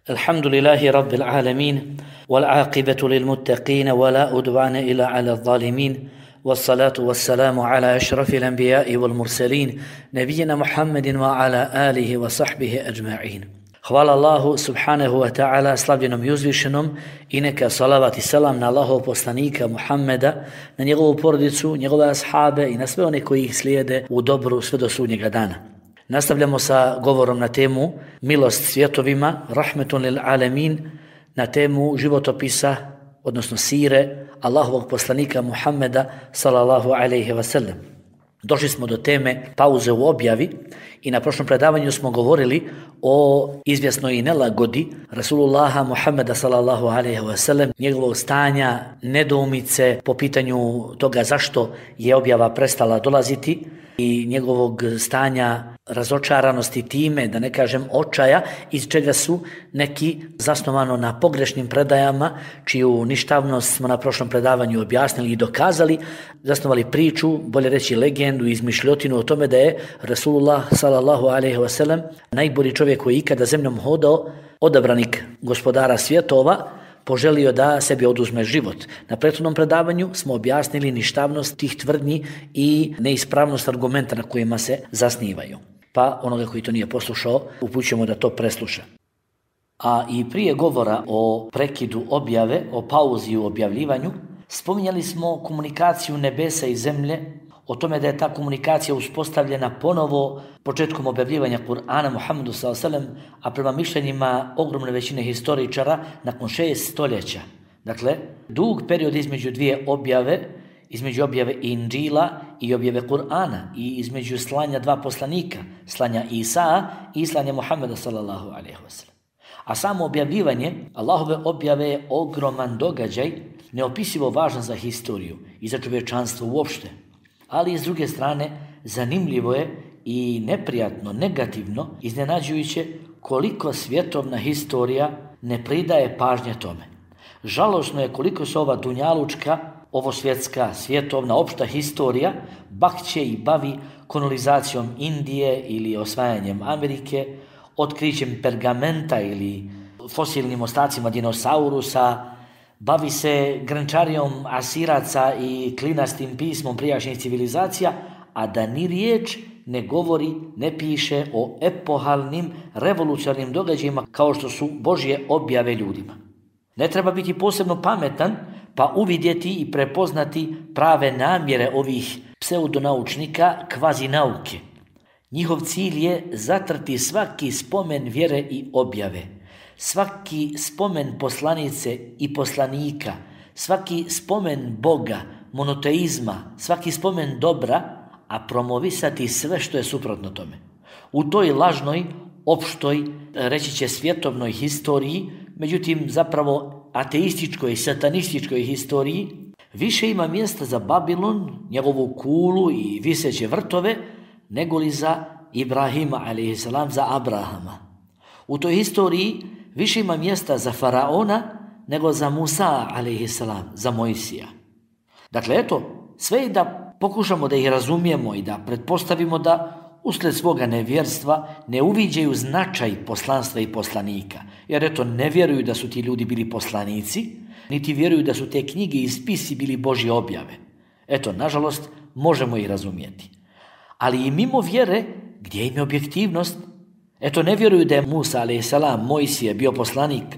الحمد لله رب العالمين والعاقبة للمتقين ولا أدوان إلا على الظالمين والصلاة والسلام على أشرف الأنبياء والمرسلين نبينا محمد وعلى آله وصحبه أجمعين. Hvala Allahu subhanahu wa ta'ala, slavljenom i uzvišenom, i neka salavat i salam na Allahov poslanika Muhammeda, na njegovu porodicu, njegove ashabe i na sve one koji ih slijede u dobru sve do sudnjega dana. Nastavljamo sa govorom na temu milost svjetovima, rahmetun lil alamin, na temu životopisa, odnosno sire Allahovog poslanika Muhammeda sallallahu alejhi ve sellem. Došli smo do teme pauze u objavi i na prošlom predavanju smo govorili o izvjesnoj nelagodi Rasulullaha Muhammeda sallallahu alejhi ve sellem, njegovog stanja, nedoumice po pitanju toga zašto je objava prestala dolaziti i njegovog stanja razočaranosti time, da ne kažem očaja, iz čega su neki zasnovano na pogrešnim predajama, čiju ništavnost smo na prošlom predavanju objasnili i dokazali, zasnovali priču, bolje reći legendu, izmišljotinu o tome da je Rasulullah sallallahu alejhi ve sellem najbolji čovjek koji ikada zemljom hodao, odabranik gospodara svjetova, poželio da sebi oduzme život. Na prethodnom predavanju smo objasnili ništavnost tih tvrdnji i neispravnost argumenta na kojima se zasnivaju. Pa onoga koji to nije poslušao, upućujemo da to presluša. A i prije govora o prekidu objave, o pauzi u objavljivanju, spominjali smo komunikaciju nebesa i zemlje, o tome da je ta komunikacija uspostavljena ponovo početkom objavljivanja Kur'ana Muhammedu s.a.v. a prema mišljenjima ogromne većine historičara nakon 6 stoljeća. Dakle, dug period između dvije objave, između objave Inđila i objave Kur'ana i između slanja dva poslanika, slanja Isa i slanja Muhammeda sallallahu alejhi ve sellem. A samo objavljivanje Allahove objave je ogroman događaj, neopisivo važan za historiju i za čovječanstvo uopšte. Ali s druge strane, zanimljivo je i neprijatno, negativno, iznenađujuće koliko svjetovna historija ne pridaje pažnje tome. Žalosno je koliko se ova dunjalučka, ovo svjetska, svjetovna, opšta historija bakće i bavi kolonizacijom Indije ili osvajanjem Amerike, otkrićem pergamenta ili fosilnim ostacima dinosaurusa, bavi se grančarijom Asiraca i klinastim pismom prijašnjih civilizacija, a da ni riječ ne govori, ne piše o epohalnim, revolucionarnim događajima kao što su Božje objave ljudima. Ne treba biti posebno pametan pa uvidjeti i prepoznati prave namjere ovih pseudonaučnika kvazi nauke. Njihov cilj je zatrti svaki spomen vjere i objave, svaki spomen poslanice i poslanika, svaki spomen Boga, monoteizma, svaki spomen dobra, a promovisati sve što je suprotno tome. U toj lažnoj, opštoj, reći će svjetovnoj historiji, međutim zapravo ateističkoj i satanističkoj historiji, više ima mjesta za Babilon, njegovu kulu i viseće vrtove, nego li za Ibrahima a.s. za Abrahama. U toj historiji više ima mjesta za Faraona nego za Musa a.s. za Mojsija. Dakle, eto, sve i da pokušamo da ih razumijemo i da pretpostavimo da uslijed svoga nevjerstva ne uviđaju značaj poslanstva i poslanika. Jer eto, ne vjeruju da su ti ljudi bili poslanici, niti vjeruju da su te knjige i spisi bili Božje objave. Eto, nažalost, možemo ih razumjeti. Ali i mimo vjere, gdje im je objektivnost? Eto, ne vjeruju da je Musa a.s. Mojsije bio poslanik,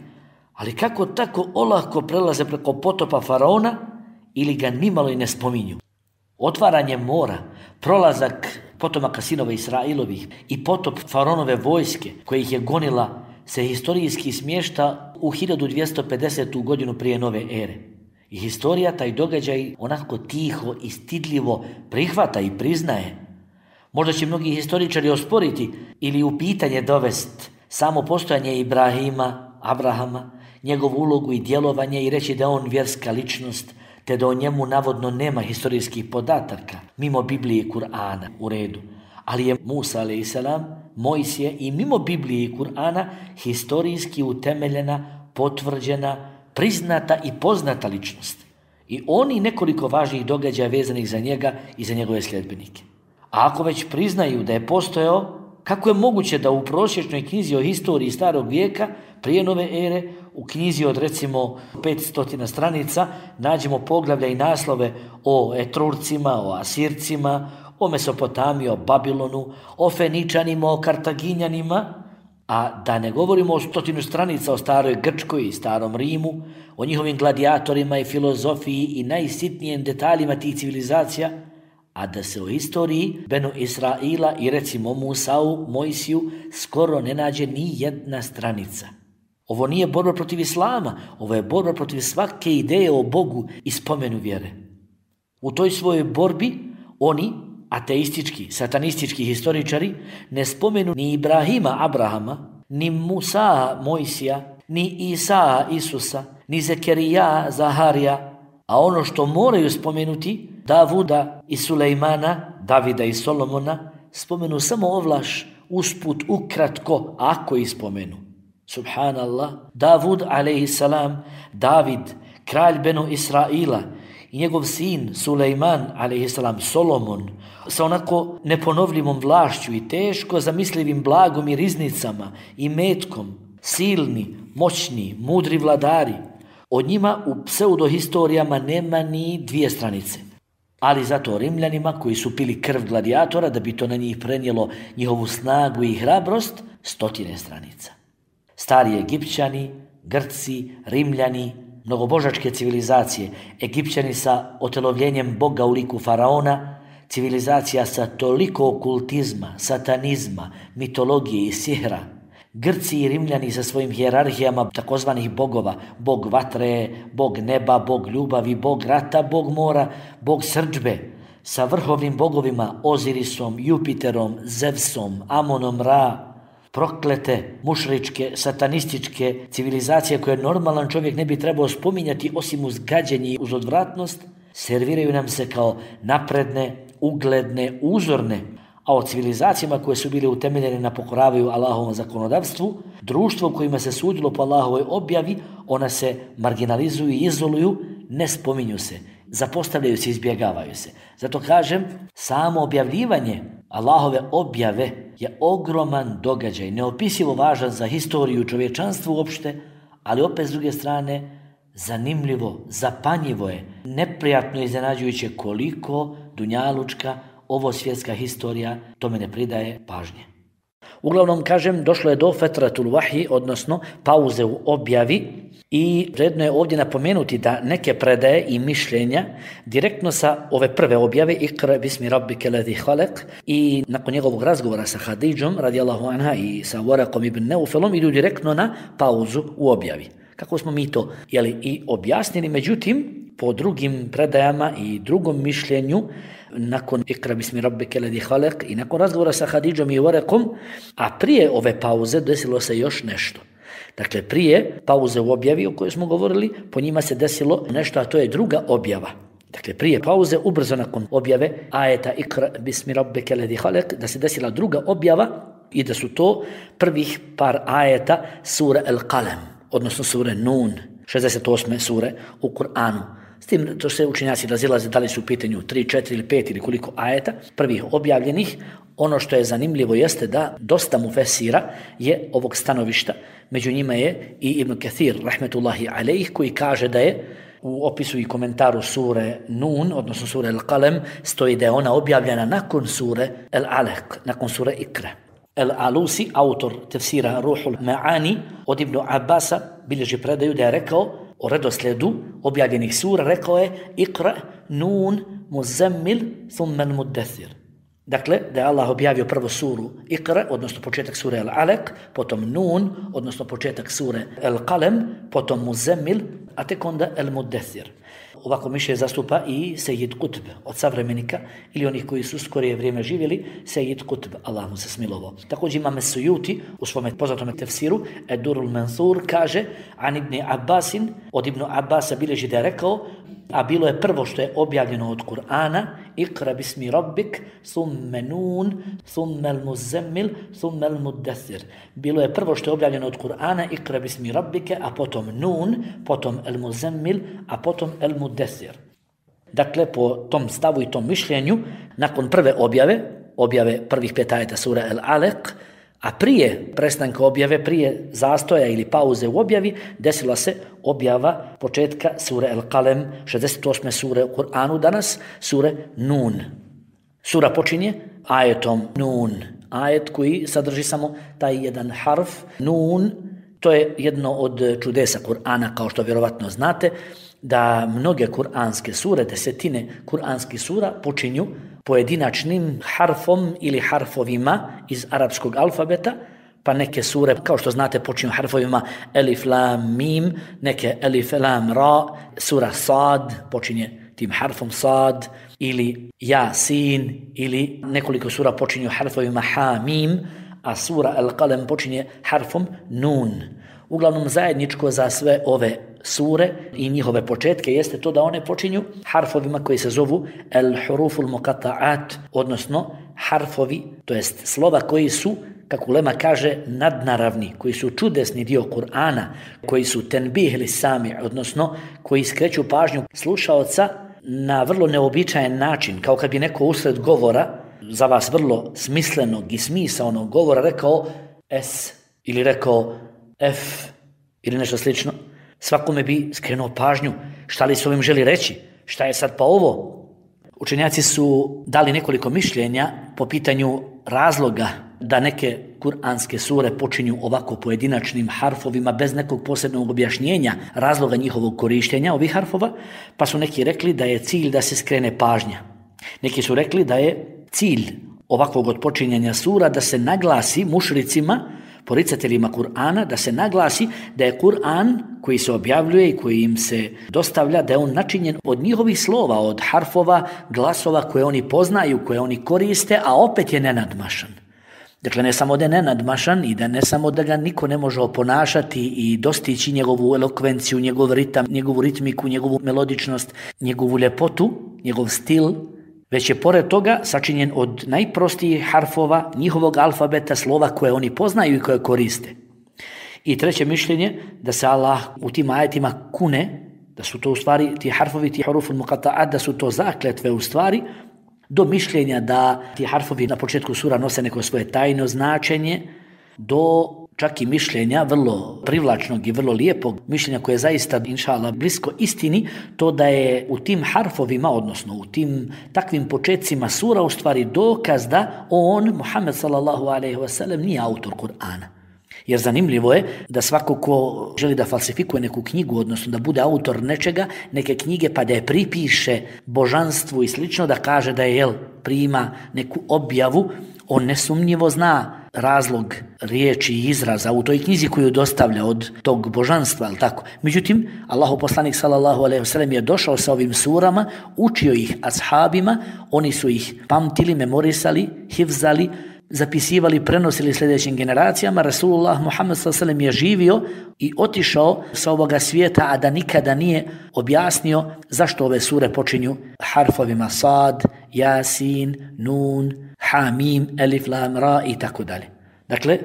ali kako tako olako prelaze preko potopa Faraona ili ga nimalo i ne spominju? Otvaranje mora, prolazak potomaka sinova Israilovih i potop Faraonove vojske, koja ih je gonila, se historijski smješta u 1250. godinu prije nove ere. I historija taj događaj onako tiho i stidljivo prihvata i priznaje. Možda će mnogi historičari osporiti ili u pitanje dovesti samo postojanje Ibrahima, Abrahama, njegovu ulogu i djelovanje i reći da je on vjerska ličnost, te da o njemu navodno nema historijskih podataka, mimo Biblije i Kur'ana, u redu. Ali je Musa a.s. Mojsije i mimo Biblije i Kur'ana historijski utemeljena, potvrđena, priznata i poznata ličnost. I oni nekoliko važnih događaja vezanih za njega i za njegove sljedbenike. A ako već priznaju da je postojao, kako je moguće da u prosječnoj knjizi o historiji starog vijeka prije nove ere, u knjizi od recimo 500 stranica, nađemo poglavlja i naslove o Etrurcima, o Asircima, o Mesopotamiji, o Babilonu, o Feničanima, o Kartaginjanima, a da ne govorimo o 100 stranica o staroj Grčkoj i starom Rimu, o njihovim gladijatorima i filozofiji i najsitnijem detaljima tih civilizacija, a da se o istoriji Benu Israila i recimo Musau, Mojsiju skoro ne nađe ni jedna stranica. Ovo nije borba protiv islama, ovo je borba protiv svake ideje o Bogu i spomenu vjere. U toj svojoj borbi oni, ateistički, satanistički historičari, ne spomenu ni Ibrahima, Abrahama, ni Musa, Mojsija, ni Isa, Isusa, ni Zekerija, Zaharija, a ono što moraju spomenuti, Davuda i Sulejmana, Davida i Solomona, spomenu samo ovlaš, usput, ukratko, ako ih spomenu. Subhanallah, Davud, alejhisalam, David, kralj Benu Israila, i njegov sin Sulejman, alejhisalam, Solomon, sa onako neponovljivom vlašću i teško zamislivim blagom i riznicama i metkom, silni, moćni, mudri vladari. Od njima u pseudohistorijama nema ni 2 stranice. Ali zato Rimljanima koji su pili krv gladijatora da bi to na njih prenijelo njihovu snagu i hrabrost, 100 stranica. Stari Egipćani, Grci, Rimljani, mnogobožačke civilizacije, Egipćani sa otelovljenjem Boga u liku faraona, civilizacija sa toliko okultizma, satanizma, mitologije i sihra, Grci i Rimljani sa svojim hijerarhijama takozvanih bogova, bog vatre, bog neba, bog ljubavi, bog rata, bog mora, bog srdžbe, sa vrhovnim bogovima Ozirisom, Jupiterom, Zevsom, Amonom, Ra, proklete, mušričke, satanističke civilizacije koje normalan čovjek ne bi trebao spominjati osim uz gađenje i uz odvratnost, serviraju nam se kao napredne, ugledne, uzorne, a o civilizacijama koje su bile utemeljene na pokoravaju Allahovom zakonodavstvu, društvo u kojima se sudilo po Allahovoj objavi, ona se marginalizuju i izoluju, ne spominju se, zapostavljaju se, izbjegavaju se. Zato kažem, samo objavljivanje Allahove objave je ogroman događaj, neopisivo važan za historiju čovječanstva uopšte, ali opet s druge strane zanimljivo, zapanjivo je, neprijatno iznenađujuće koliko dunjalučka, ovo svjetska historija tome ne pridaje pažnje. Uglavnom, kažem, došlo je do fetratul vahyi, odnosno pauze u objavi, i vredno je ovdje napomenuti da neke predaje i mišljenja direktno sa ove prve objave Ikra bismi rabbike ladhi khalaq i nakon njegovog razgovora sa Hadidžom radijallahu anha i sa Waraqom ibn Neufelom idu direktno na pauzu u objavi. Kako smo mi to i objasnili, međutim, po drugim predajama i drugom mišljenju, nakon Ikra bismi rabbike ladhi khalaq i nakon razgovora sa Hadidžom i Waraqom, a prije ove pauze desilo se još nešto. Dakle, prije pauze u objavi o kojoj smo govorili, po njima se desilo nešto, a to je druga objava. Dakle, prije pauze, ubrzo nakon objave ajeta Ikra bismi rabbike ladhi khalaq, da se desila druga objava i da su to prvih par ajeta sure Al-Qalam, odnosno sure Nun, 68. sure u Kur'anu. S tim to se učenjaci razilaze da li su u pitanju 3, 4 ili 5 ili koliko ajeta prvih objavljenih. Ono što je zanimljivo jeste da dosta mufesira je ovog stanovišta. Među njima je i Ibn Kathir, rahmetullahi alejh, koji kaže da je u opisu i komentaru sure Nun, odnosno sure Al-Qalam, stoji da je ona objavljena nakon sure Al-Alaq, nakon sure Ikra. Al-Alusi, autor tefsira Ruhul Ma'ani, od Ibn Abbasa bilježi predaju da je rekao o redoslijedu objavljenih sura, rekao je Ikra, Nun, Muzammil, thumma Al-Muddathir. Dakle, da je Allah objavio prvo suru Ikra, odnosno početak sure Al-Alaq, potom Nun, odnosno početak sure Al-Qalam, potom Muzammil, a tek onda Al-Muddathir. Ovako mišljenje zastupa i Sejid Kutb od savremenika ili onih koji su skorije vrijeme živjeli, Sejid Kutb, Allah mu se smilovao. Također Imam Sujuti u svome poznatom tefsiru Ed-Durul Mansur kaže an Ibn Abbasin, od Ibn Abbasa bilježi da je rekao, a bilo je prvo što je objavljeno od Kur'ana, Ikra bismi rabbik, thumme Nun, thumme Al-Muzammil, thumme Al-Muddathir. Bilo je prvo što je objavljeno od Kur'ana, Ikra bismi rabbike, a potom Nun, potom Al-Muzammil, a potom Al-Muddathir. Dakle, po tom stavu i tom mišljenju, nakon prve objave prvih 5 ajeta sura Al-Alaq, A prije prestanka objave, prije zastoja ili pauze u objavi, desila se objava početka sure El-Kalem, 68. sure u Kur'anu danas, sure Nun. Sura počinje ajetom Nun, ajet koji sadrži samo taj jedan harf, Nun. To je jedno od čudesa Kur'ana, kao što vjerovatno znate, da mnoge kur'anske sure, desetine kur'anskih sura počinju pojedinačnim harfom ili harfovima iz arapskog alfabeta, pa neke sure, kao što znate, počinju harfovima elif, lam, mim, neke elif, lam, ra, sura Sad počinje tim harfom Sad, ili Jasin, ili nekoliko sura počinju harfovima ha, mim, a sura Al-Qalem počinje harfom Nun. Uglavnom zajedničko za sve ove sure i njihove početke jeste to da one počinju harfovima koji se zovu al-huruful muqatta'at, odnosno harfovi, to jest slova koji su, kako ulema kaže, nadnaravni, koji su čudesni dio Kur'ana, koji su tenbih li sami, odnosno koji skreću pažnju slušaoca na vrlo neobičajen način, kao kad bi neko usred govora, za vas vrlo smislenog i smisaonog govora, rekao S ili rekao F ili nešto slično. Svakome bi skrenuo pažnju šta li s ovim želi reći, šta je sad pa ovo. Učenjaci su dali nekoliko mišljenja po pitanju razloga da neke kuranske sure počinju ovako pojedinačnim harfovima bez nekog posebnog objašnjenja razloga njihovog korištenja ovih harfova, pa su neki rekli da je cilj da se skrene pažnja. Neki su rekli da je cilj ovakvog odpočinjanja sura da se naglasi mušricima, poricateljima Kur'ana, da se naglasi da je Kur'an koji se objavljuje i koji im se dostavlja, da je on načinjen od njihovih slova, od harfova, glasova koje oni poznaju, koje oni koriste, a opet je nenadmašan. Dakle, ne samo da je nenadmašan i da ne samo da ga niko ne može oponašati i dostići njegovu elokvenciju, njegov ritam, njegovu ritmiku, njegovu melodičnost, njegovu ljepotu, njegov stil, već je pored toga sačinjen od najprostijih harfova njihovog alfabeta, slova koje oni poznaju i koje koriste. I treće mišljenje, da se Allah u tim ajetima kune, da su to u stvari ti harfovi, ti huruful muqatta'at, da su to zakletve u stvari, do mišljenja da ti harfovi na početku sura nose neko svoje tajno značenje, do čak i mišljenja vrlo privlačnog i vrlo lijepog mišljenja koje je zaista, inšallah, blisko istini, to da je u tim harfovima, odnosno u tim takvim početcima sura u stvari dokaz da on, Muhammed sallallahu alejhi ve sellem, nije autor Kur'ana. Jer zanimljivo je da svako ko želi da falsifikuje neku knjigu, odnosno da bude autor nečega, neke knjige, pa da je pripiše božanstvu i slično, da kaže da je prima neku objavu, on nesumnjivo zna razlog riječi i izraza u toj knjizi koju dostavlja od tog božanstva, ali tako. Međutim, Allahu poslanik sallallahu alejhi ve sellem je došao sa ovim surama, učio ih ashabima, oni su ih pamtili, memorisali, hifzali, zapisivali, prenosili sljedećim generacijama. Rasulullah Muhammed sallallahu alejhi ve sellem je živio i otišao sa ovoga svijeta, a da nikada nije objasnio zašto ove sure počinju harfovima Sad, Jasin, Nun, Hamim, Elif, Lam, Ra i tako dalje. Dakle,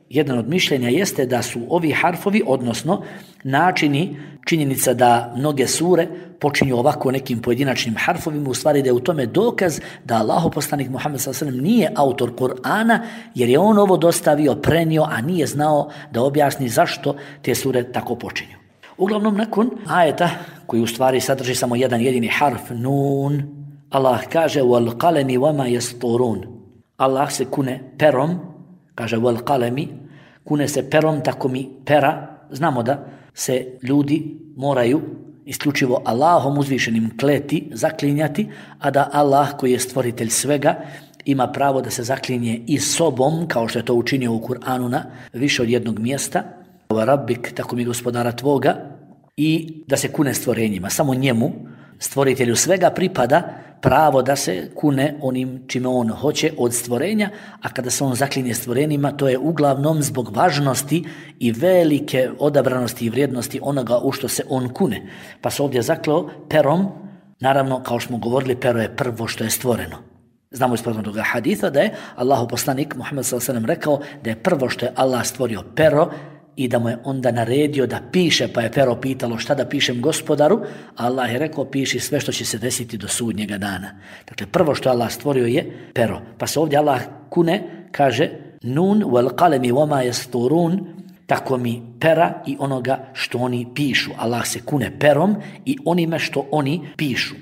jedan od mišljenja jeste da su ovi harfovi, odnosno načini, činjenica da mnoge sure počinju ovako nekim pojedinačnim harfovima, u stvari da je u tome dokaz da Allahu poslanik Muhammed sallallahu alejhi ve sellem nije autor Kur'ana, jer je on ovo dostavio, prenio, a nije znao da objasni zašto te sure tako počinju. Uglavnom, nakon ajeta koji u stvari sadrži samo jedan jedini harf, Nun, Allah kaže wal qalami wama yasturun. Allah se kune perom, kaže wal qalami, kune se perom, tako mi pera. Znamo da se ljudi moraju isključivo Allahom uzvišenim kleti, zaklinjati, a da Allah koji je stvoritelj svega ima pravo da se zaklinje i sobom, kao što je to učinio u Kur'anu na više od jednog mjesta. Wa rabbik, tako mi gospodara tvoga, i da se kune stvorenjima. Samo njemu, stvoritelju svega, pripada pravo da se kune onim čime on hoće od stvorenja, a kada se on zaklinje stvorenjima, to je uglavnom zbog važnosti i velike odabranosti i vrijednosti onoga u što se on kune. Pa se ovdje zakleo perom, naravno, kao što smo govorili, pero je prvo što je stvoreno. Znamo iz toga haditha da je Allahu poslanik Muhammed sallallahu alejhi ve sellem rekao da je prvo što je Allah stvorio pero, i da mu je onda naredio da piše, pa je pero pitalo šta da pišem gospodaru, a Allah je rekao piši sve što će se desiti do sudnjega dana. Dakle, prvo što Allah stvorio je pero. Pa se ovdje Allah kune, kaže nun wal qalami wama yasturun, tako mi pera i onoga što oni pišu. Allah se kune perom i onime što oni pišu.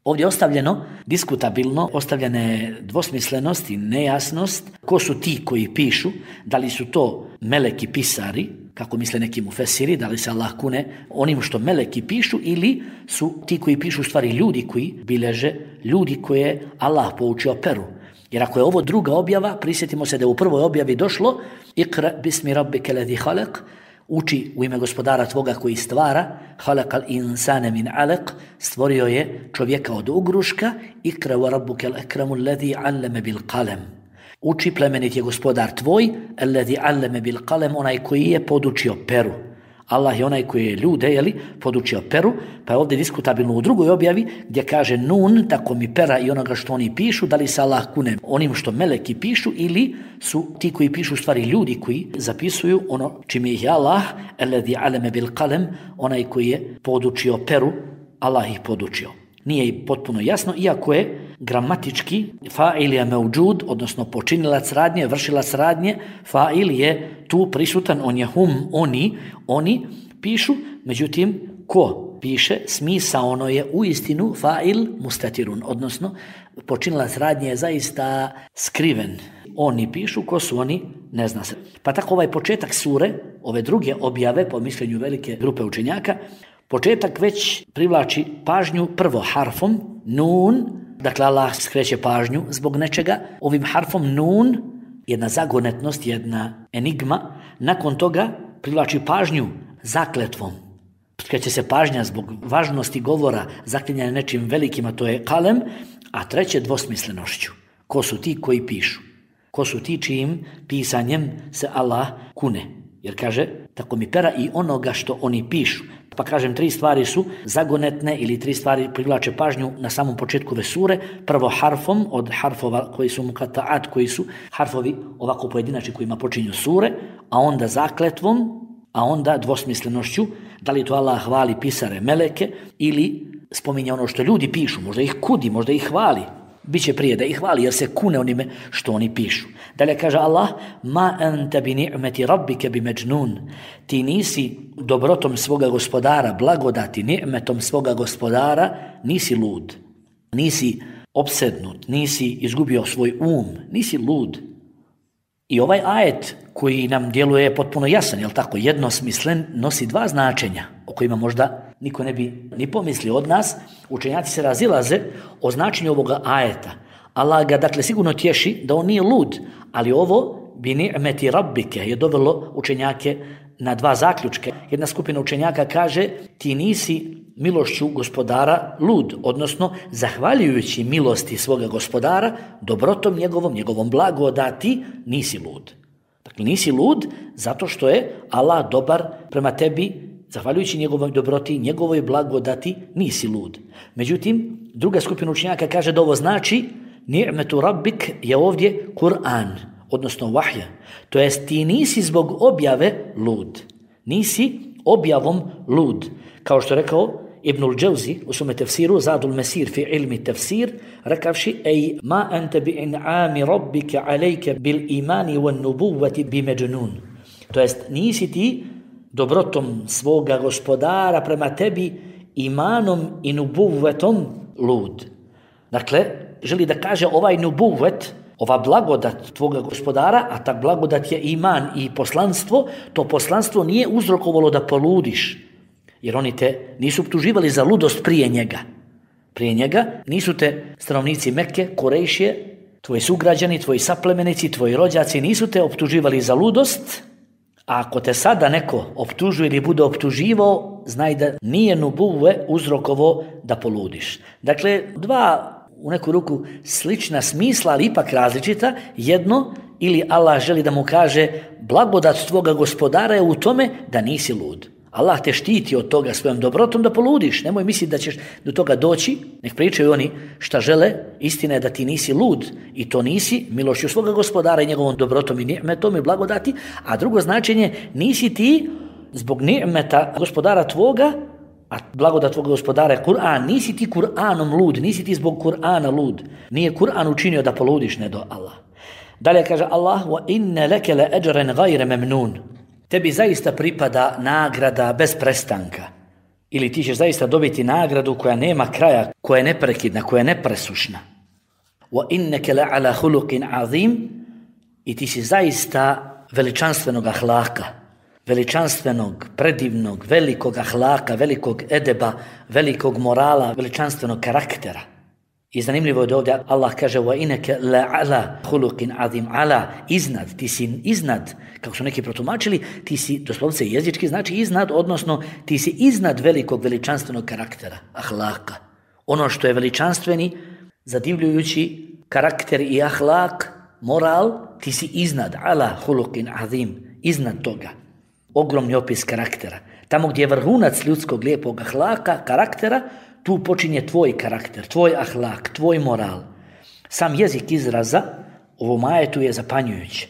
Ovdje je ostavljeno diskutabilno, ostavljena je dvosmislenost i nejasnost. Ko su ti koji pišu? Da li su to meleki pisari, kako misle neki mufesiri, da li se Allah kune onim što meleki pišu, ili su ti koji pišu stvari ljudi koji bileže, ljudi koje Allah poučio peru. Jer ako je ovo druga objava, prisjetimo se da je u prvoj objavi došlo Iqra bismi rabbike ladhi khalaq, uči u ime gospodara tvoga koji stvara, halakal insane min alaq, stvorio je čovjeka od ugruška, Iqra wa rabbukel akramu alladhi allama bil qalam. Uči, plemenit je gospodar tvoj, alladhi allama bil qalam, onaj koji je podučio peru. Allah je onaj koji je ljude, podučio peru, pa je ovdje diskutabilno u drugoj objavi gdje kaže nun, tako mi pera i onoga što oni pišu, da li se Allah kune onim što meleki pišu ili su ti koji pišu stvari ljudi koji zapisuju ono čime ih je Allah, alladhi allama bil qalam, onaj koji je podučio peru, Allah ih podučio. Nije i potpuno jasno, iako je gramatički fa'il je mevđud, odnosno počinilac radnje, vršilac radnje, fa'il je tu prisutan, on je hum, oni pišu, međutim, ko piše, smisaono je u istinu fa'il mustatirun, odnosno počinilac radnje je zaista skriven. Oni pišu, ko su oni, ne zna se. Pa tako ovaj početak sure, ove druge objave, po mišljenju velike grupe učenjaka, početak već privlači pažnju prvo harfom nun, dakle Allah skreće pažnju zbog nečega. Ovim harfom nun, jedna zagonetnost, jedna enigma, nakon toga privlači pažnju zakletvom. Skreće se pažnja zbog važnosti govora, zaklinjanja nečim velikim, a to je kalem, a treće dvosmislenošću. Ko su ti koji pišu? Ko su ti čijim pisanjem se Allah kune? Jer kaže, tako mi pera i onoga što oni pišu. Pa kažem, 3 stvari su zagonetne ili 3 stvari privlače pažnju na samom početku ove sure. Prvo harfom, od harfova koji su mukataat, koji su harfovi ovako pojedinačni kojima počinju sure, a onda zakletvom, a onda dvosmislenošću, da li to Allah hvali pisare meleke ili spominje ono što ljudi pišu, možda ih kudi, možda ih hvali. Biće prije da ih hvali jer se kune onime što oni pišu. Dalje kaže Allah, ma anta bi ni'meti rabbike bi međnun. Ti nisi dobrotom svoga gospodara, blagodati ni'metom svoga gospodara, nisi lud. Nisi opsednut, nisi izgubio svoj nisi lud. I ovaj ajet koji nam djeluje potpuno jasan, jel tako, jednosmislen, nosi 2 značenja o kojima možda niko ne bi ni pomislio od nas. Učenjaci se razilaze o značenju ovoga ajeta. Allah ga dakle sigurno tješi da on nije lud, ali ovo bi ni'meti rabbike je dovelo učenjake na 2 zaključke. Jedna skupina učenjaka kaže ti nisi milošću gospodara lud, odnosno zahvaljujući milosti svoga gospodara, dobrotom njegovom blagodati, nisi lud. Dakle, nisi lud zato što je Allah dobar prema tebi, zahvaljujući njegovoj dobroti, njegovoj blagodati, nisi lud. Međutim, druga skupina učenjaka kaže da ovo znači ni'metu rabbik je ovdje Kur'an, odnosno vahja. To jest ti nisi zbog objave lud. Nisi objavom lud. Kao što rekao Ibnul Džavzi u svome tefsiru, Zadul Mesir fi ilmi tefsir, rekavši ej ma ente bi in'ami rabbike alejke bil imani wan nubuvati bi međnun. To jest nisi ti dobrotom svoga gospodara prema tebi imanom i nubuvetom lud. Dakle, želi da kaže ovaj nubuvet, ova blagodat tvoga gospodara, a ta blagodat je iman i poslanstvo, to poslanstvo nije uzrokovalo da poludiš, jer oni te nisu optuživali za ludost prije njega. Prije njega nisu te stanovnici Mekke, Kurejšije, tvoji sugrađani, tvoji saplemenici, tvoji rođaci nisu te optuživali za ludost, a ako te sada neko optužuje ili bude optuživao, znaj da nije nubuve uzrokovo da poludiš. Dakle, 2 u neku ruku slična smisla, ali ipak različita. Jedno, ili Allah želi da mu kaže blagodat tvoga gospodara je u tome da nisi lud. Allah te štiti od toga svojom dobrotom da poludiš. Nemoj misliti da ćeš do toga doći. Nek pričaju oni šta žele. Istina je da ti nisi lud i to nisi milošću svoga gospodara i njegovom dobrotom i ni'metom i blagodati. A drugo značenje, nisi ti zbog ni'meta gospodara tvoga, a blagodat tvoga gospodara je Kur'an, nisi ti Kur'anom lud, nisi ti zbog Kur'ana lud. Nije Kur'an učinio da poludiš, ne do Allah. Dalje kaže Allah: "Wa inna laka la ajran ghayra mamnun." Tebi zaista pripada nagrada bez prestanka. Ili ti ćeš zaista dobiti nagradu koja nema kraja, koja je neprekidna, koja je nepresušna. Wa innaka la ala khuluqin azim. I ti si zaista veličanstvenog ahlaka, veličanstvenog, predivnog, velikog ahlaka, velikog edeba, velikog morala, veličanstvenog karaktera. I zanimljivo je da ovdje Allah kaže: "Wa innaka la ala khuluqin azim." Ala, iznad, ti si iznad, kako su neki protumačili, ti si, doslovce jezički znači iznad, odnosno ti si iznad velikog veličanstvenog karaktera, ahlaka. Ono što je veličanstveni, zadivljujući karakter i ahlak, moral, ti si iznad, ala khuluqin azim, iznad toga. Ogromni opis karaktera. Tamo gdje je vrhunac ljudskog lijepog ahlaka, karaktera, tu počinje tvoj karakter, tvoj ahlak, tvoj moral. Sam jezik izraza ovom ajetu je zapanjujući.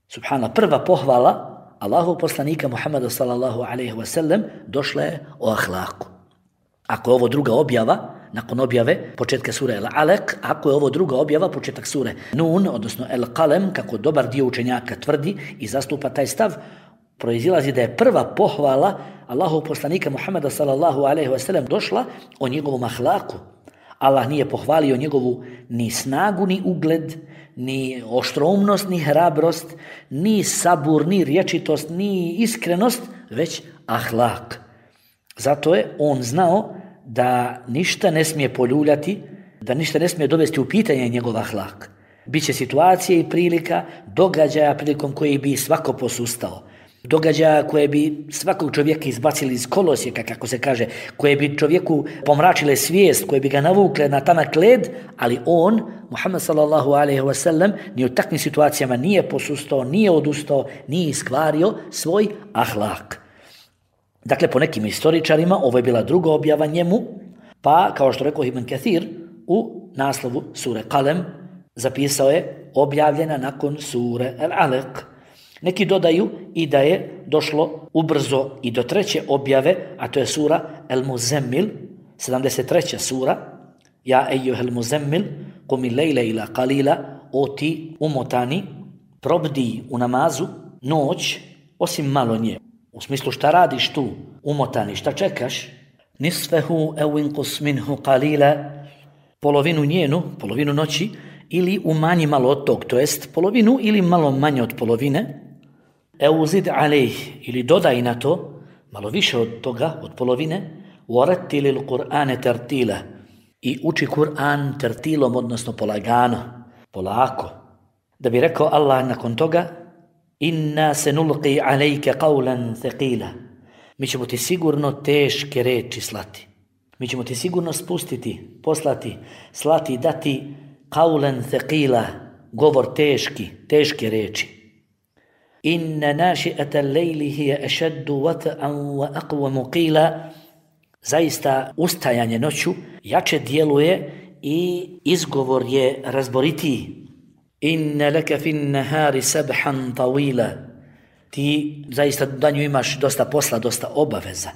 Subhanallah, prva pohvala Allahov poslanika Muhammeda sallallahu alejhi ve sellem došla je o ahlaku. Ako je ovo druga objava, nakon objave početka sure Al-Alaq, ako je ovo druga objava, početak sure Nun, odnosno Al-Qalam, kako dobar dio učenjaka tvrdi i zastupa taj stav, proizilazi da je prva pohvala Allahov poslanika Muhammeda sallallahu alejhi ve sellem došla o njegovom ahlaku. Allah nije pohvalio njegovu ni snagu, ni ugled, ni oštroumnost, ni hrabrost, ni sabur, ni rječitost, ni iskrenost, već ahlak. Zato je on znao da ništa ne smije poljuljati, da ništa ne smije dovesti u pitanje njegov ahlak. Biće situacije i prilika, događaja prilikom koji bi svako posustao. Događaja koje bi svakog čovjeka izbacili iz kolosijeka, kako se kaže, koje bi čovjeku pomračile svijest, koje bi ga navukle na tanak led, ali on, Muhammed sallallahu alejhi ve sellem, ni u takvim situacijama nije posustao, nije odustao, nije iskvario svoj ahlak. Dakle, po nekim istoričarima, ovo je bila druga objava njemu, pa, kao što rekao Ibn Kathir, u naslovu sure Qalam zapisao je objavljena nakon sure Al-Alaq. Neki dodaju i da je došlo ubrzo i do treće objave, a to je sura Al-Muzammil, 73. sura. Ja ejuhel muzammil, qumi lejle ila qalila, o ti umotani, probdi u namazu noć, osim malo nje. U smislu šta radiš tu, umotani, šta čekaš? Nisfehu ew inqus minhu qalila, polovinu njenu, polovinu noći, ili umanji malo od tog, to jest polovinu ili malo manje od polovine, euzid alejh, ili dodaj na to, malo više od toga, od polovine, warattilil Qur'ane tartila, i uči Kur'an tertilom, odnosno polagano, polako. Da bi rekao Allah nakon toga: inna senulqi alejke qawlan thaqila, mi ćemo ti sigurno teške reči slati. Mi ćemo ti sigurno spustiti, poslati, slati, dati qawlan thaqila, govor teški, teške reči. Inna naši'ata al-lejli hiya ashaddu wat'an wa aqwamu qila, zaista ustajanje noću jače djeluje i izgovor je razboritiji. Inna laka fin nahari sabhan tawila, ti zaista danju imaš dosta posla, dosta obaveza.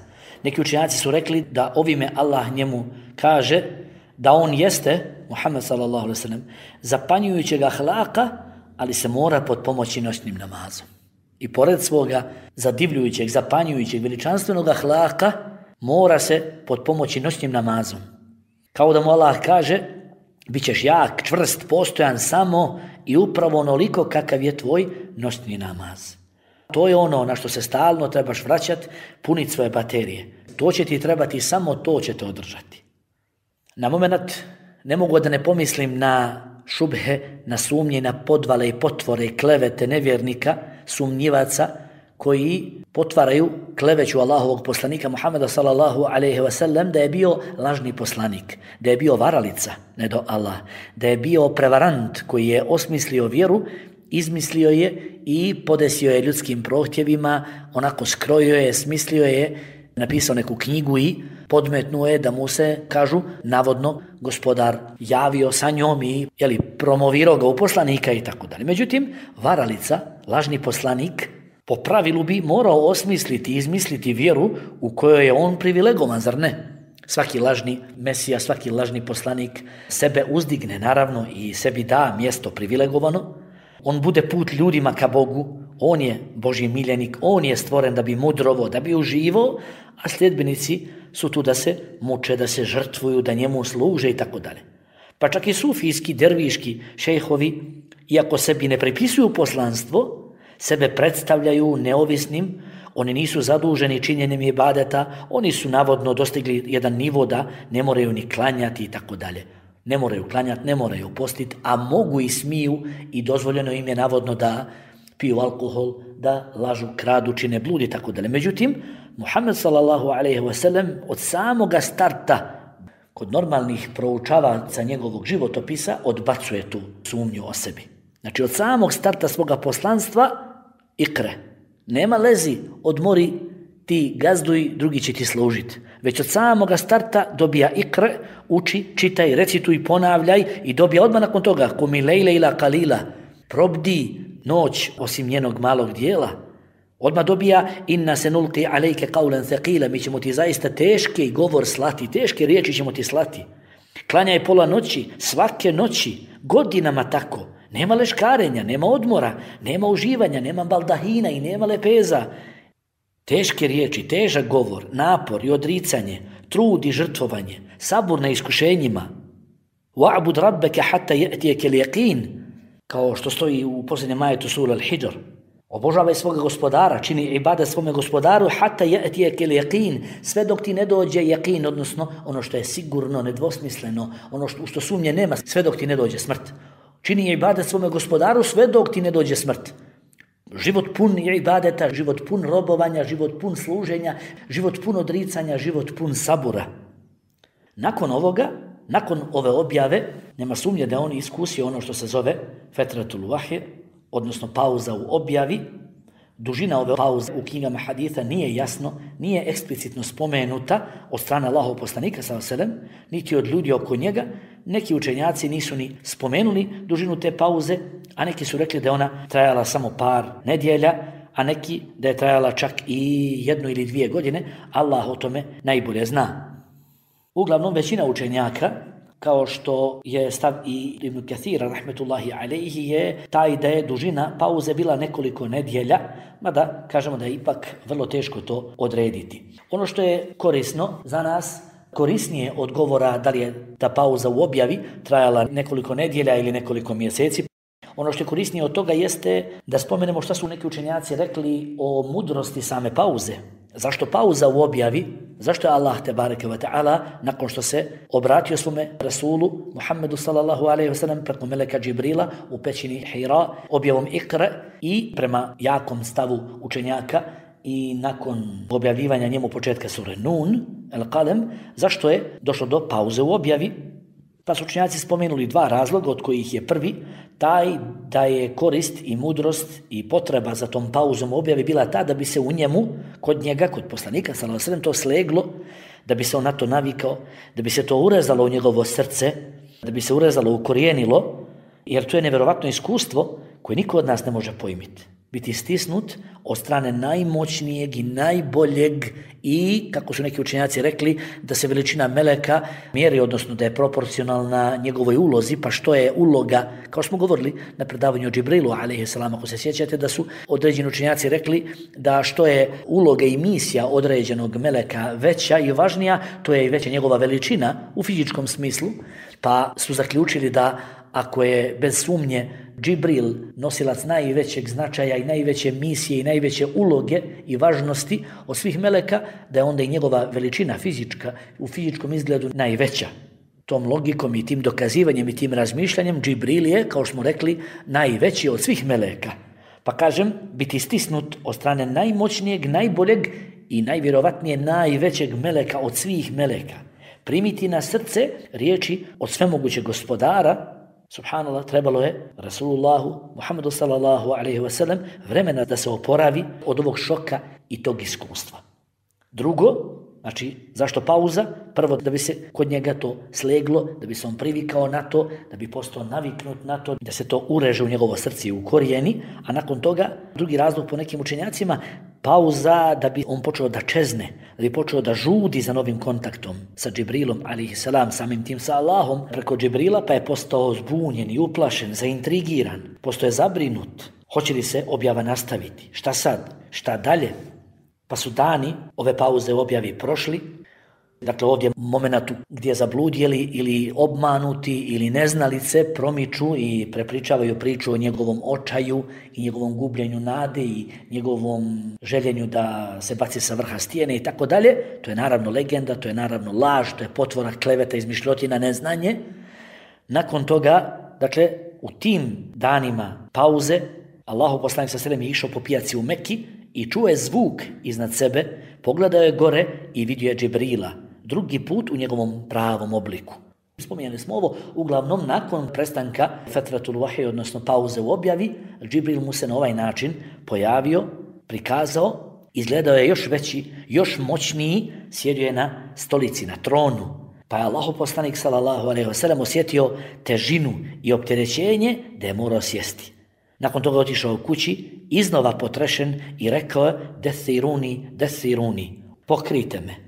Neki učenjaci su rekli da ovime Allah njemu kaže da on jeste, Muhammed sallallahu alejhi ve sellem, zapanjujućeg ahlaka, ali se mora pod pomoći noćnim namazom. I pored svoga zadivljujućeg, zapanjujućeg, veličanstvenog ahlaka, mora se pod pomoći noćnim namazom. Kao da mu Allah kaže: bit ćeš jak, čvrst, postojan samo i upravo onoliko kakav je tvoj noćni namaz. To je ono na što se stalno trebaš vraćati, puniti svoje baterije. To će ti trebati, samo to će te održati. Na moment ne mogu da ne pomislim na šubhe, na sumnje, na podvale i potvore, klevete nevjernika, sumnjivaca koji potvaraju kleveću Allahovog poslanika Muhammeda sallallahu alejhi ve sellem da je bio lažni poslanik, da je bio varalica, ne do Allah, da je bio prevarant koji je osmislio vjeru, izmislio je i podesio je ljudskim prohtjevima, onako skrojio je, smislio je, napisao neku knjigu i podmetnuo je da mu se, kažu, navodno gospodar javio sa njom i promovirao ga u poslanika i tako dalje. Međutim, varalica, lažni poslanik, po pravilu bi morao osmisliti, izmisliti vjeru u kojoj je on privilegovan, zar ne? Svaki lažni mesija, svaki lažni poslanik sebe uzdigne, naravno, i sebi da mjesto privilegovano, on bude put ljudima ka Bogu, on je Božji miljenik, on je stvoren da bi mudrovo, da bi uživao, a sljedbenici su tu da se muče, da se žrtvuju, da njemu služe i tako dalje. Pa čak i sufijski, derviški šejhovi, iako sebi ne pripisuju poslanstvo, sebe predstavljaju neovisnim, oni nisu zaduženi činjenjem ibadeta, oni su navodno dostigli jedan nivo da ne moraju ni klanjati i tako dalje. Ne moraju klanjati, ne moraju postiti, a mogu i smiju i dozvoljeno im je navodno da piju alkohol, da lažu, kradu, čine blud i tako dalje. Međutim, Muhammed sallallahu alejhi ve sellem od samoga starta kod normalnih proučavaca njegovog životopisa odbacuje tu sumnju o sebi. Znači od samog starta svoga poslanstva ikre. Nema lezi, odmori, ti gazduj, drugi će ti služiti. Već od samoga starta dobija ikre, uči, čitaj, recituj, ponavljaj i dobija odmah nakon toga kumi lejle ila kalila, probdi noć osim njenog malog dijela. Odmah dobija inna se nulqi alejke qawlan thaqila, mi ćemo ti zaista teški govor slati, teške riječi ćemo ti slati. Klanjaj pola noći, svake noći, godinama tako. Nema leškarenja, nema odmora, nema uživanja, nema baldahina i nema lepeza. Teške riječi, težak govor, napor i odricanje, trud i žrtvovanje, sabur na iskušenjima. Wa'bud rabbeke hatta ya'tiyaka al-yaqin, kao što stoji u posljednjem ajetu sura Al-Hijr. Obožavaj svoga gospodara, čini ibadet svome gospodaru hatta ya'tiyaka al-yaqin, sve dok ti ne dođe yaqin, odnosno ono što je sigurno, nedvosmisleno, ono što sumnje nema, sve dok ti ne dođe smrt. Čini ibadet svome gospodaru sve dok ti ne dođe smrt. Život pun ibadeta, život pun robovanja, život pun služenja, život pun odricanja, život pun sabura. Nakon ovoga, nakon ove objave, nema sumnje da on iskusio ono što se zove fetratul vahje, odnosno pauza u objavi. Dužina ove pauze u knjigama haditha nije jasno, nije eksplicitno spomenuta od strane Allahov poslanika sallallahu alejhi ve sellem, niti od ljudi oko njega. Neki učenjaci nisu ni spomenuli dužinu te pauze, a neki su rekli da ona trajala samo par nedjelja, a neki da je trajala čak i 1 ili 2 godine. Allah o tome najbolje zna. Uglavnom, većina učenjaka, kao što je stav i Ibn Kathira, rahmetullahi alejhi, je taj da je dužina pauze bila nekoliko nedjelja, mada kažemo da je ipak vrlo teško to odrediti. Ono što je korisno za nas, korisnije od govora da li je ta pauza u objavi trajala nekoliko nedjelja ili nekoliko mjeseci. Ono što je korisnije od toga jeste da spomenemo šta su neki učenjaci rekli o mudrosti same pauze. Zašto pauza u objavi? Zašto je Allah tebareke ve ta'ala nakon što se obratio svome Rasulu Muhammedu sallallahu alejhi ve sellem preko meleka Džibrila u pećini Hira objavom Ikra i prema jakom stavu učenjaka i nakon objavljivanja njemu početka sure Nun, Al-Qalam, zašto je došlo do pauze u objavi? Pa su učenjaci spomenuli 2 razloga, od kojih je prvi taj da je korist i mudrost i potreba za tom pauzom u objavi bila ta da bi se u njemu, kod njega, kod poslanika sallallahu alejhi ve sellem, to sleglo, da bi se on na to navikao, da bi se to urezalo u njegovo srce, da bi se urezalo, ukorijenilo, jer to je nevjerovatno iskustvo koje niko od nas ne može pojmiti. Biti stisnut od strane najmoćnijeg i najboljeg i, kako su neki učenjaci rekli, da se veličina meleka mjeri, odnosno da je proporcionalna njegovoj ulozi, pa što je uloga, kao smo govorili na predavanju o Džibrilu, alejhisselam, ako se sjećate, da su određeni učenjaci rekli da što je uloga i misija određenog meleka veća i važnija, to je i veća njegova veličina u fizičkom smislu, pa su zaključili da ako je bez sumnje Džibril nosilac najvećeg značaja i najveće misije i najveće uloge i važnosti od svih meleka, da je onda i njegova veličina fizička u fizičkom izgledu najveća. Tom logikom i tim dokazivanjem i tim razmišljanjem Džibril je, kao što smo rekli, najveći od svih meleka. Pa kažem, biti stisnut od strane najmoćnijeg, najboljeg i najvjerovatnije najvećeg meleka od svih meleka. Primiti na srce riječi od svemogućeg gospodara, subhanallah, trebalo je Rasulullahu Muhammedu sallallahu alejhi ve sellem vremena da se oporavi od ovog šoka i tog iskustva. Drugo, znači, zašto pauza? Prvo, da bi se kod njega to sleglo, da bi se on privikao na to, da bi postao naviknut na to, da se to ureže u njegovo srce i u korijeni, a nakon toga, drugi razlog po nekim učenjacima, pauza da bi on počeo da čezne, da bi počeo da žudi za novim kontaktom sa Džibrilom, alejhiselam, samim tim sa Allahom, preko Džibrila, pa je postao zbunjen i uplašen, zaintrigiran, postao je zabrinut. Hoće li se objava nastaviti? Šta sad? Šta dalje? Pa su dani ove pauze u objavi prošli. Dakle, ovdje momentu gdje zabludjeli ili obmanuti ili neznalice promiču i prepričavaju priču o njegovom očaju i njegovom gubljenju nade i njegovom željenju da se baci sa vrha stijene i tako dalje. To je naravno legenda, to je naravno laž, to je potvora, kleveta, izmišljotina, neznanje. Nakon toga, dakle, u tim danima pauze, Allahov poslanik sallallahu alejhi ve sellem je išao po pijaci u Mekki i čuo je zvuk iznad sebe, pogledao je gore i vidio je Džibrila, drugi put u njegovom pravom obliku. Spominjali smo ovo, uglavnom nakon prestanka fetratul vahij, odnosno pauze u objavi, Džibril mu se na ovaj način pojavio, prikazao, izgledao je još veći, još moćniji, sjedio je na stolici, na tronu. Pa je Allahov poslanik sallallahu alejhi ve sellem osjetio težinu i opterećenje da je morao sjesti. Nakon toga otišao u kući, iznova potrešen i rekao je dethiruni,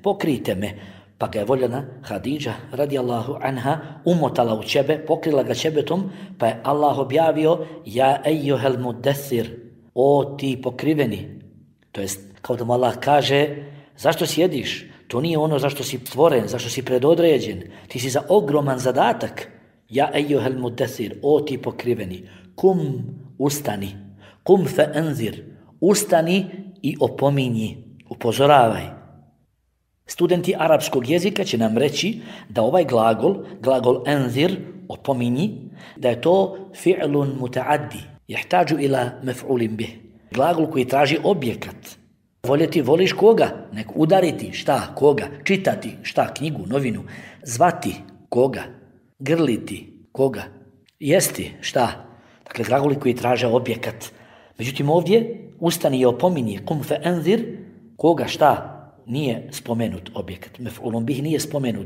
pokrijte me. Pa ga je voljena Hadidža radijallahu anha umotala u ćebe, pokrila ga ćebetom, pa je Allah objavio ja ejuhel mudethir, o ti pokriveni. To jest, kao da mu Allah kaže, zašto sjediš? To nije ono zašto si stvoren, zašto si predodređen. Ti si za ogroman zadatak. Ja ejuhel mudethir, o ti pokriveni. Kum, ustani. Kum fe enzir, ustani i opominji, upozoravaj. Studenti arapskog jezika će nam reći da ovaj glagol enzir, opominji, da je to fi'lun mutaaddi, jehtaju ila mef'ulim bih. Glagol koji traži objekat. Voljeti, voliš koga? Nek udariti, šta, koga? Čitati, šta, knjigu, novinu. Zvati, koga? Grliti, koga? Jesti, šta? Dakle, glagoli koji traže objekat. Međutim, ovdje ustani i opominji, kum fe enzir, koga, šta? Nije spomenut objekat. Mef'ulun bih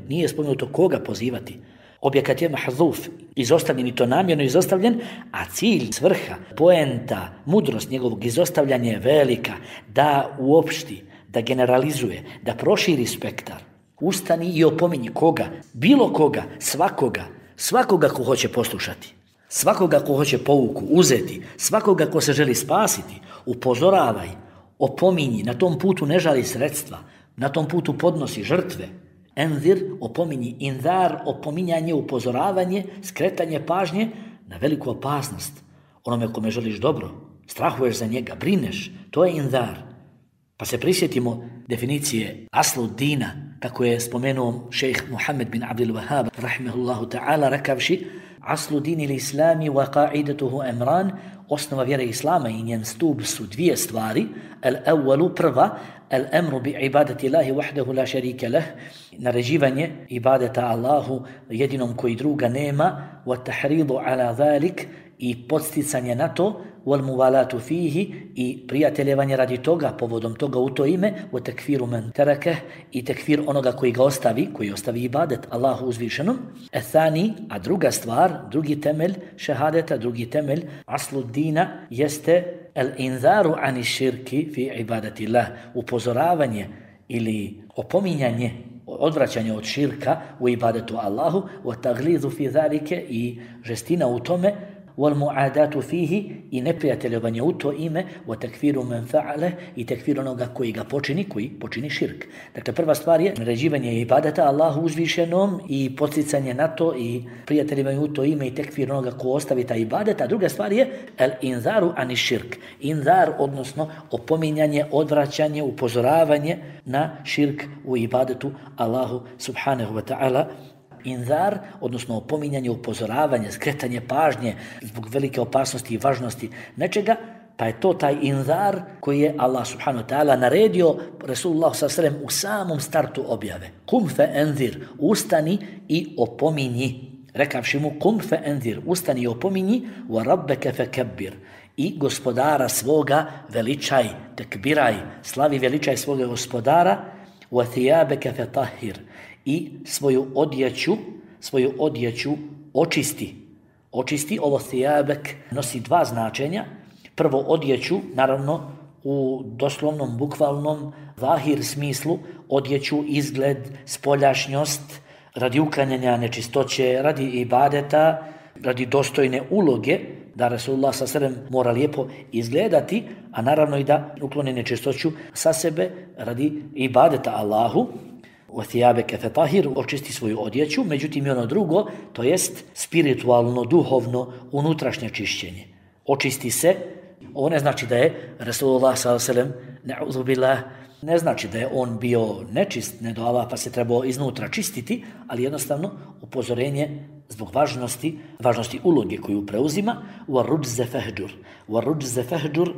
nije spomenuto koga pozivati. Objekat je mahzuf, izostavljen i to namjerno izostavljen, a cilj, svrha, poenta, mudrost njegovog izostavljanja je velika, da uopšti, da generalizuje, da proširi spektar. Ustani i opominji koga, bilo koga, svakoga ko hoće poslušati, svakoga ko hoće pouku uzeti, svakoga ko se želi spasiti, upozoravaj, opominji, na tom putu ne žali sredstva, na tom putu podnosi žrtve. Enzir, opominji, inzar, opominjanje, upozoravanje, skretanje pažnje na veliku opasnost. Onome kome želiš dobro, strahuješ za njega, brineš, to je inzar. Pa se prisjetimo definicije aslu dina, kako je spomenuo šejh Muhammed bin Abdul Wahhab, rahimehullahu ta'ala, rekavši, aslu dini l'islami wa qa'idatuhu emran, osnova vjere islama i njen stup su dvije stvari. Al-awwalu, prva, al-amru bi ibadati Allahi wahdahu la sharika lah, naređivanje ibadeta Allahu jedinom koji druga nema, wa tahridu ala zalik, i podsticanje na to, wal muvalatu fihi, i prijateljevanje radi toga, povodom toga u to ime, wa takfiru man tarakah, i takfir onoga koji ga ostavi, koji ostavi ibadet Allahu uzvišenom. Ethani, a druga stvar, drugi temelj šehadeta, drugi temelj aslu dina jeste al-inzaru ani širki fi ibadati Allah, upozoravanje ili opominjanje, odvraćanje od širka u ibadetu Allahu, wa taglizu fi zalike, i žestina u tome, wal muadatu fihi, i neprijateljovanje u to ime, wa takfiru man fa'ale, i takfir onoga koji počini širk. Dakle, prva stvar je naređivanje ibadeta Allahu uzvišenom i podsticanje na to i prijateljivanje u to ime i takfir onoga ko ostavi ta ibadet, a druga stvar je al-inzaru ani širk. Inzar, odnosno opominjanje, odvraćanje, upozoravanje na širk u ibadetu Allahu subhanahu wa ta'ala. Inzar, odnosno opominjanje, upozoravanje, skretanje pažnje zbog velike opasnosti i važnosti nečega, pa je to taj inzar koji je Allah subhanahu wa ta'ala naredio Resulullah s.a.v. u samom startu objave. Kum fe enzir, ustani i opominji. Rekavši mu, kum fe enzir, ustani i opominji, wa rabbeke fe kebbir, i gospodara svoga veličaj, tekbiraj, slavi veličaj svoga gospodara, wa thijabeke fe tahir, i svoju odjeću očisti. Očisti, ovo thijabek nosi dva značenja. Prvo odjeću, naravno u doslovnom, bukvalnom, zahir smislu, odjeću, izgled, spoljašnjost, radi uklanjanja nečistoće, radi ibadeta, radi dostojne uloge, da Rasulullah s.a.v. mora lijepo izgledati, a naravno i da ukloni nečistoću sa sebe radi ibadeta Allahu. وَثِيَابَكَ فَطَهِرُ, očisti svoju odjeću, međutim i ono drugo, to jest spiritualno, duhovno, unutrašnje čišćenje. Očisti se, ovo ne znači da je Rasulullah s.a.v. ne znači da je on bio nečist, ne do Allah, pa se trebao iznutra čistiti, ali jednostavno upozorenje zbog važnosti uloge koju preuzima. وَالرُّجْزَ فَهْجُرْ وَالرُّجْزَ فَهْجُرْ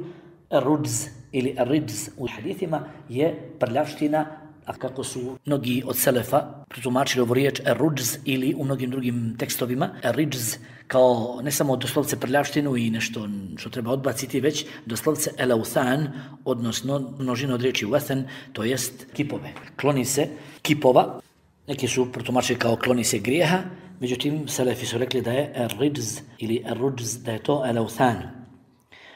الرُّجْز ili الرِّجْز u hadithima je prljavština, a kako su mnogi od selefa protumačili ovu riječ ar-rujz ili u mnogim drugim tekstovima ar-rijz kao ne samo doslovce prljavštinu i nešto što treba odbaciti, već doslovce el-authan, odnosno množina od riječi wathan, to jest kipove. Kloni se kipova, neki su protumačili kao kloni se grijeha, međutim selefi su rekli da je ar-rijz ili ar-rujz, da je to el-authan.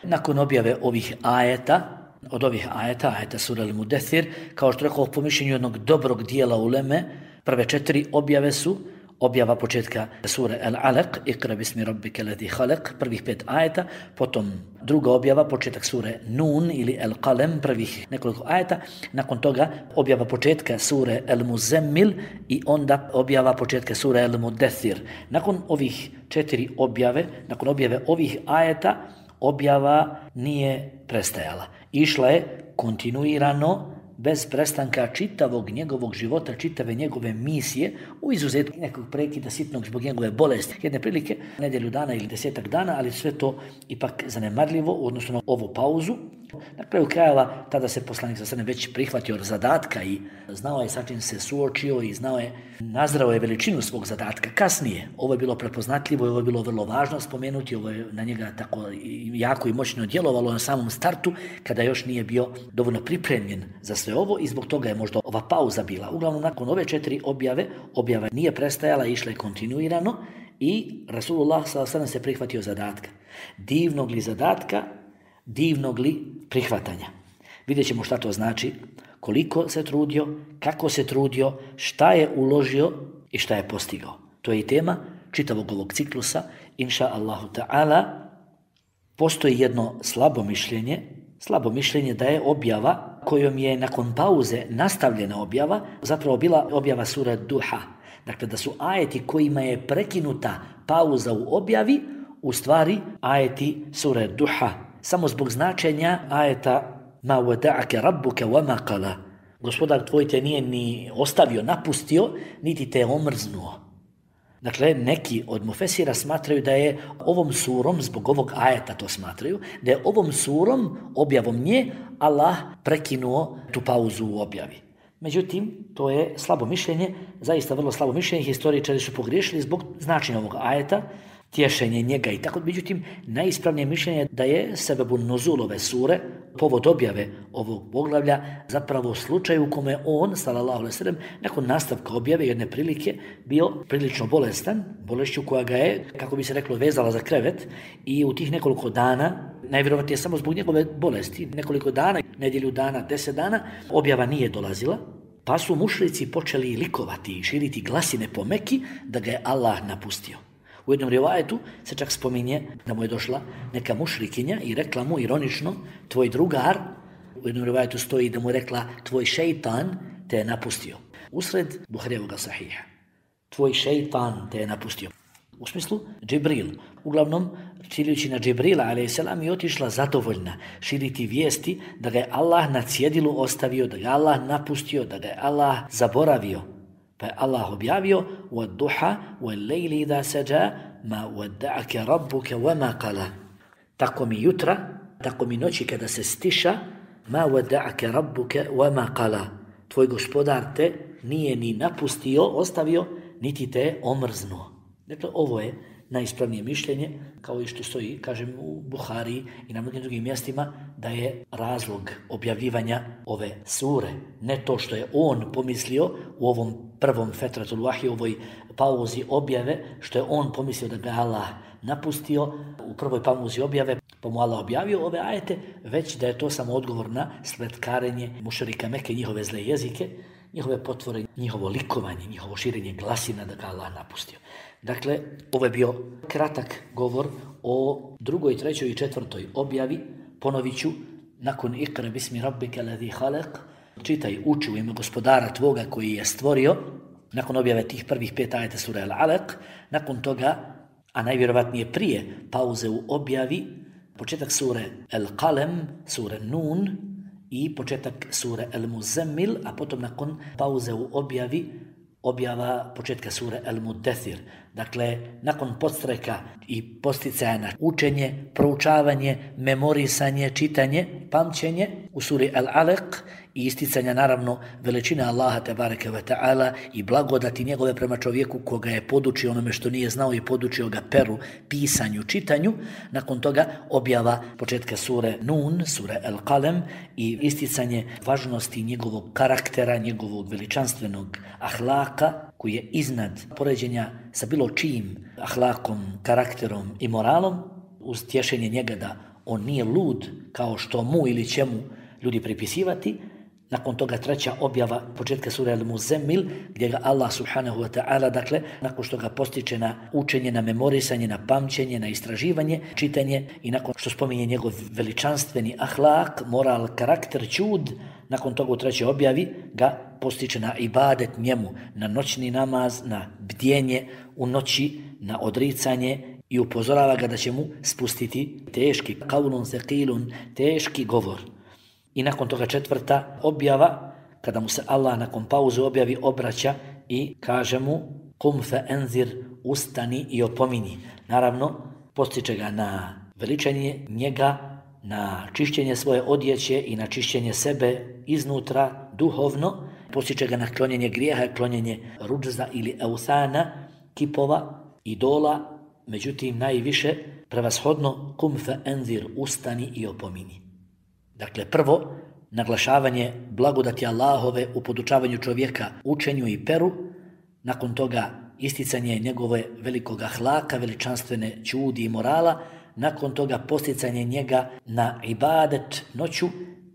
Nakon objave ovih ajeta, od ovih ajeta sura Al-Mudaththir, kao što rekao po mišljenju jednog dobrog dijela uleme, prve 4 objave su objava početka sure Al-Alaq, Iqra bismi rabbika ladhi khalaq, prvih 5 ajeta, potom druga objava početak sure Nun ili Al-Qalam, prvih nekoliko ajeta, nakon toga objava početka sure Al-Muzammil i onda objava početka sure Al-Mudaththir. Nakon ovih 4 objave, nakon objave ovih ajeta, objava nije prestajala. Išla je kontinuirano, bez prestanka čitavog njegovog života, čitave njegove misije, u izuzetku nekog prekida sitnog zbog njegove bolesti. Jedne prilike, nedjelju dana ili 10 dana, ali sve to ipak zanemarljivo u odnosu na ovu pauzu. Na kraju krajeva, tada se poslanik sa srne već prihvatio od zadatka i znao je sa čim se suočio i nazrao je veličinu svog zadatka. Kasnije, ovo je bilo prepoznatljivo i ovo je bilo vrlo važno spomenuti, ovo je na njega tako jako i moćno djelovalo na samom startu, kada još nije bio dovoljno pripremljen za sve ovo i zbog toga je možda ova pauza bila. Uglavnom, nakon ove 4 objava nije prestajala, išla je kontinuirano i Rasulullah s.a.v. se prihvatio zadatka. Divnog li zadatka, divnog li prihvatanja. Vidjet ćemo šta to znači, koliko se trudio, kako se trudio, šta je uložio i šta je postigao. To je i tema čitavog ovog ciklusa, inša Allahu ta'ala. Postoji jedno slabo mišljenje da je objava kojom je nakon pauze nastavljena objava, zapravo bila objava sura Duha. Dakle, da su ajeti kojima je prekinuta pauza u objavi, u stvari ajeti sura Duha. Samo zbog značenja ajeta ma wada'aka rabbuka wa ma qala. Gospodar tvoj te nije ni ostavio, napustio, niti te omrznuo. Dakle, neki od mufesira smatraju da je ovom surom, zbog ovog ajeta to smatraju, da je ovom surom, objavom nje, Allah prekinuo tu pauzu u objavi. Međutim, to je slabo mišljenje, zaista vrlo slabo mišljenje, historičari su pogriješili zbog značenja ovog ajeta, tješenje njega i tako. Međutim, najispravnije mišljenje da je sebebun nuzul ove sure, povod objave ovog poglavlja, zapravo slučaj u kome on, sallallahu alejhi ve sellem, nakon nastavka objave jedne prilike bio prilično bolestan, bolešću koja ga je, kako bi se reklo, vezala za krevet i u tih nekoliko dana, najvjerovatnije samo zbog njegove bolesti, nekoliko dana, nedjelju dana, 10 dana, objava nije dolazila, pa su mušrici počeli likovati i širiti glasine po Meki da ga je Allah napustio. U jednom rivajetu se čak spominje da mu je došla neka mušrikinja i rekla mu ironično, tvoj drugar, u jednom rivajetu stoji da mu je rekla, tvoj šeitan te je napustio. Usred Buharijevoga sahiha. Tvoj šeitan te je napustio. U smislu Džibril. Uglavnom, ciljujući na Džibrila, a.s. je otišla zadovoljna širiti vijesti da ga je Allah na cjedilu ostavio, da ga je Allah napustio, da ga je Allah zaboravio. Pa je Allah objavio وَالضُّحَا وَالْلَيْلِ إِذَا سَجَا مَا وَدَّعَكَ رَبُّكَ وَمَا قَلَا. Tako mi jutra, tako mi noći kada se stiša, مَا وَدَّعَكَ رَبُّكَ وَمَا قَلَا. Tvoj gospodar te nije ni napustio, ostavio, niti te omrznuo. Dakle, ovo je najispravnije mišljenje, kao i što stoji, kažem, u Buhari i na mnogim drugim mjestima, da je razlog objavljivanja ove sure ne to što je on pomislio u ovom prvom fetratul vahyi, ovoj pauzi objave, što je on pomislio da ga Allah napustio u prvoj pauzi objave, pa mu Allah objavio ove ajete, već da je to samo odgovor na spletkarenje mušrika Mekke, njihove zle jezike, njihove potvore, njihovo likovanje, njihovo širenje glasina da ga Allah napustio. Dakle, ovo je bio kratak govor o drugoj, trećoj i četvrtoj objavi. Ponovit ću, nakon Iqra bismi rabbika ladhi khalaq, čitaj, uči u ime gospodara tvoga koji je stvorio, nakon objave tih prvih 5 ajeta sura Al-Alaq, nakon toga, a najvjerovatnije prije pauze u objavi, početak sure Al-Qalam, sure Nun i početak sure Al-Muzammil, a potom nakon pauze u objavi, objava početka sure Al-Mudathir. Dakle, nakon podstreka i posticaja na učenje, proučavanje, memorisanje, čitanje, pamćenje u suri Al-Alaq i isticanja naravno veličine Allaha tebareke ve ta'ala i blagodati njegove prema čovjeku koga je podučio onome što nije znao i podučio ga peru, pisanju, čitanju. Nakon toga objava početka sure Nun, sure Al-Qalam i isticanje važnosti njegovog karaktera, njegovog veličanstvenog ahlaka koji je iznad poređenja sa bilo čijim ahlakom, karakterom i moralom, uz tješenje njega da on nije lud kao što mu ili će mu ljudi pripisivati. Nakon toga treća objava početka sure Al-Muzammil, gdje ga Allah subhanahu wa ta'ala, dakle, nakon što ga postiče na učenje, na memorisanje, na pamćenje, na istraživanje, čitanje i nakon što spominje njegov veličanstveni ahlak, moral, karakter, čud, nakon toga u trećoj objavi ga postiče na ibadet njemu, na noćni namaz, na bdjenje u noći, na odricanje i upozorava ga da će mu spustiti teški qaulun thaqilun, teški govor. I nakon toga četvrta objava, kada mu se Allah nakon pauze objavi obraća i kaže mu kum fa enzir, ustani i opomini. Naravno, postiče ga na veličanje njega, na čišćenje svoje odjeće i na čišćenje sebe iznutra, duhovno, postiče ga na klonjenje grijeha, klonjenje ruđza ili euthana, kipova, idola, međutim najviše prevashodno kum fa enzir, ustani i opomini. Dakle, prvo, naglašavanje blagodati Allahove u podučavanju čovjeka učenju i peru, nakon toga isticanje njegove velikog ahlaka, veličanstvene čudi i morala, nakon toga posticanje njega na ibadet noću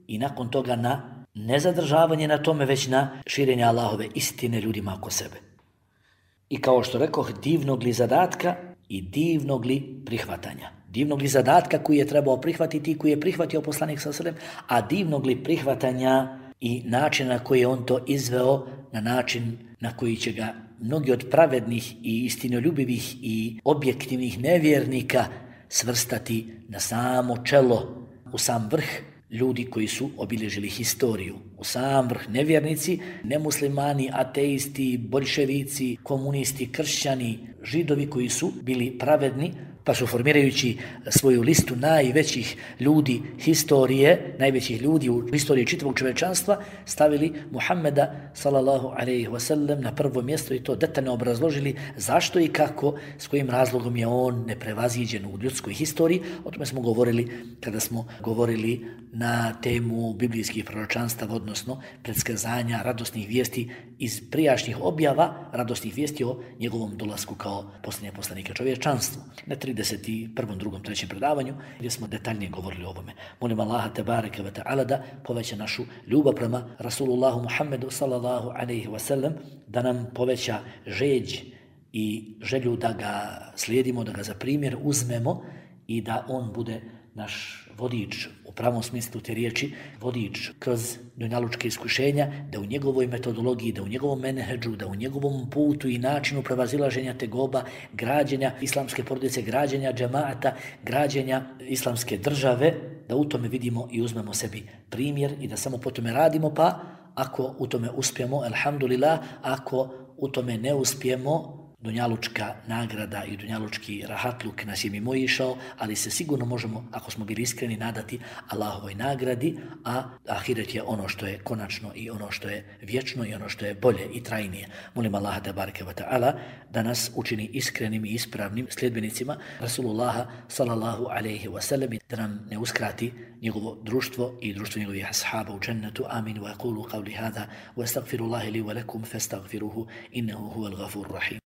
i nakon toga na nezadržavanje na tome, već na širenje Allahove istine ljudima oko sebe. I kao što rekoh, divnog li zadatka i divnog li prihvatanja. Divnog li zadatka koji je trebao prihvatiti i koji je prihvatio poslanik sallallahu alejhi ve sellem, a divnog li prihvatanja i načina na koji je on to izveo, na način na koji će ga mnogi od pravednih i istinoljubivih i objektivnih nevjernika svrstati na samo čelo, u sam vrh ljudi koji su obilježili historiju. U sam vrh nevjernici, nemuslimani, ateisti, boljševici, komunisti, kršćani, židovi koji su bili pravedni, pa su formirajući svoju listu najvećih ljudi historije, najvećih ljudi u historiji čitavog čovječanstva, stavili Muhammeda sallallahu alejhi ve sellem na prvo mjesto i to detaljno obrazložili zašto i kako, s kojim razlogom je on neprevaziđen u ljudskoj historiji. O tome smo govorili kada smo govorili na temu biblijskih proročanstava, odnosno predskazanja radosnih vijesti iz prijašnjih objava, radosnih vijesti o njegovom dolasku kao posljednje poslanika čovječanstvu. Na 31. 2. 3. predavanju gdje smo detaljnije govorili o ovome. Molim Allaha tebareke ve ta'ala da poveća našu ljubav prema Rasulullahu Muhammedu sallallahu alejhi ve sellem, da nam poveća žeđ i želju da ga slijedimo, da ga za primjer uzmemo i da on bude naš vodič u pravom smislu te riječi, vodič kroz dunjalučke iskušenja, da u njegovoj metodologiji, da u njegovom menedžu, da u njegovom putu i načinu prevazilaženja tegoba, građenja islamske porodice, građenja džemaata, građenja islamske države, da u tome vidimo i uzmemo sebi primjer i da samo po tome radimo, pa ako u tome uspijemo, alhamdulillah, ako u tome ne uspijemo, dunjalučka nagrada i dunjalučki rahatluk nas je mimoišao, ali se sigurno možemo, ako smo bili iskreni, nadati Allahovoj nagradi, a ahiret je ono što je konačno i ono što je vječno i ono što je bolje i trajnije. Molim Allaha tebareke ve taala da nas učini iskrenim i ispravnim sljedbenicima Rasulullaha sallallahu alejhi ve sellem, da nam ne uskrati njegovo društvo i društvo njegovih ashaba u džennetu. Amin. Wa aqulu qawli hadha wa astaghfirullaha li wa lakum fastaghfiruhu innahu huwal ghafurur rahim.